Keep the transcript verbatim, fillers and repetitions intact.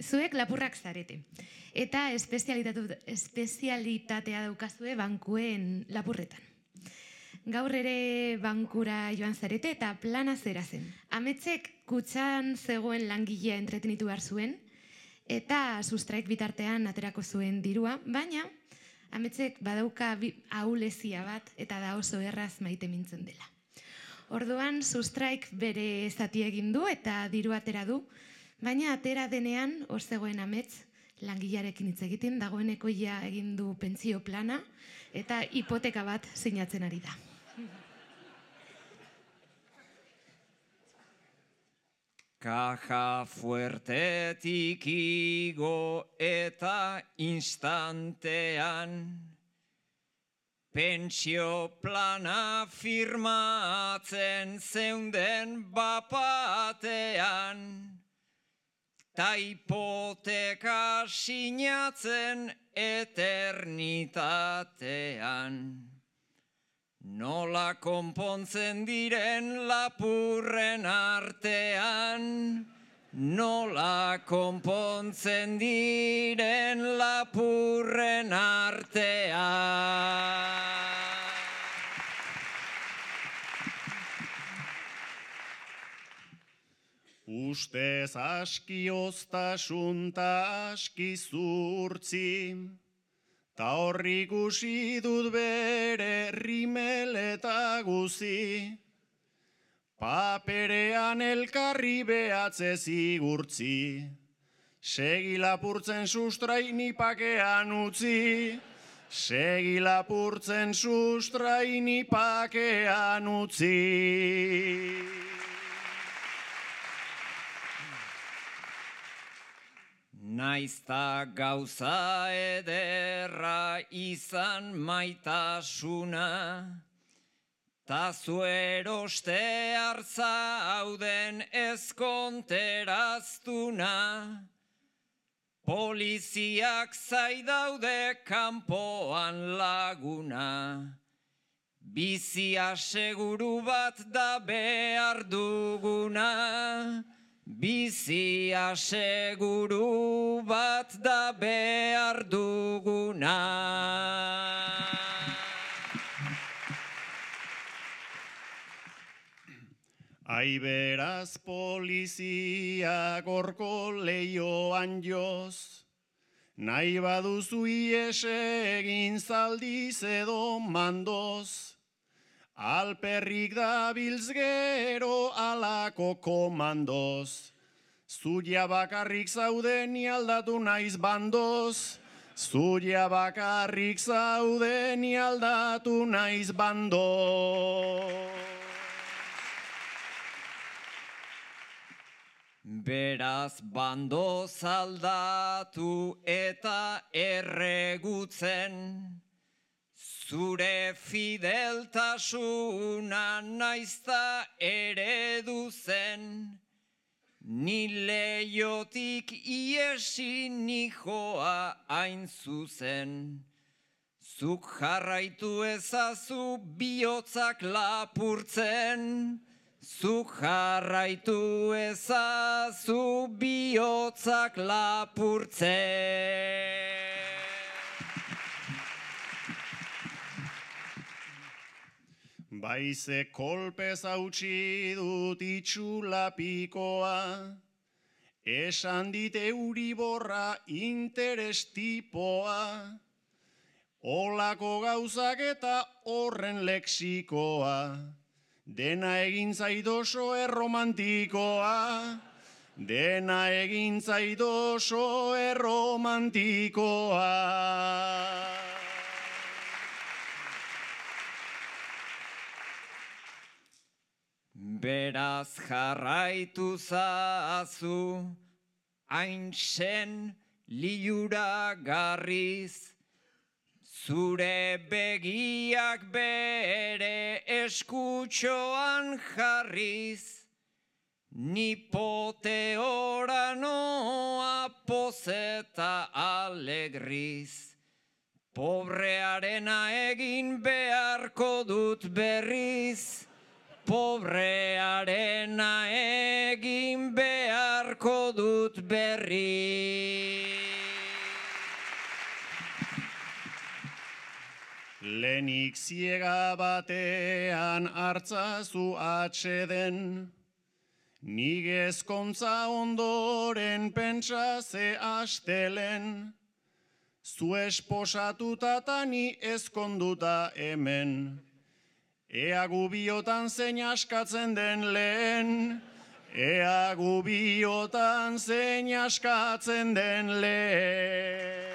zuek lapurrak zarete. Eta espezialitatea daukazue bankuen lapurretan. Gaur ere bankura joan zarete eta plana zera zen. Ametzek kutxan zegoen langilea entretenitu behar zuen, eta sustraik bitartean aterako zuen dirua, baina Ametzek badauka ahulezia bat eta da oso erraz maite mintzen dela. Orduan sustraik bere zati egin du eta diru atera du, baina atera denean hor zegoen Amets langilearekin hitz egiten, dagoeneko ja egin du pentsio plana eta hipoteka bat sinatzen ari da. Kaja fuertetik igo eta instantean pentsio plana firmatzen zeunden bapatean ta hipoteka sinatzen eternitatean. Nola konpontzen diren lapurren artean, nola konpontzen diren lapurren artean. Ustez aski oztasun ta aski zurtzi, ta horri ikusi dut bere rimel eta guzi, paperean elkarri behatze zigurtzi, segi lapurtzen sustraini pakean utzi, segi lapurtzen sustraini pakean utzi. Naizta gauza ederra izan maitasuna, ta zueroste hartzauden ezkonteraztuna, poliziak zaidaude kanpoan laguna, bizia seguru bat da behar duguna, bizia seguru bat da behar duguna. Ai beraz polizia gorko leioan joz, nahi baduzu ies egin zaldiz edo mandoz, alperrik dabiltz gero alako komandoz, zuia bakarrik zaude ni aldatu naiz bandoz, zuia bakarrik zaude ni aldatu naiz bandoz. Beraz bandoz aldatu eta erregutzen, zure fideltasuna naizta eredu zen, ni leiotik iesi nijoa hain zuzen. Zuk jarraitu ezazu bihotzak lapurtzen, zuk jarraitu ezazu bihotzak lapurtzen. Baize kolpez hautsi dut itxulapikoa, esan dit Euriborra interes tipoa, olako gauzak eta horren lexikoa, dena egin zait oso erromantikoa, dena egin zait oso erromantikoa. Beraz jarraitu zazu, hain sen lilura garriz, zure begiak bere eskutxoan jarriz, ni poteora noa pozeta alegriz, pobrearena egin beharko dut berriz, pobrearena egin beharko dut berri. Lenik ziega batean hartzazu atxeden, nik ezkontza ondoren pentsa ze astelen, zu esposatuta ta ni ezkonduta hemen, ea gubiotan zein askatzen den lehen, ea gubiotan zein askatzen den lehen.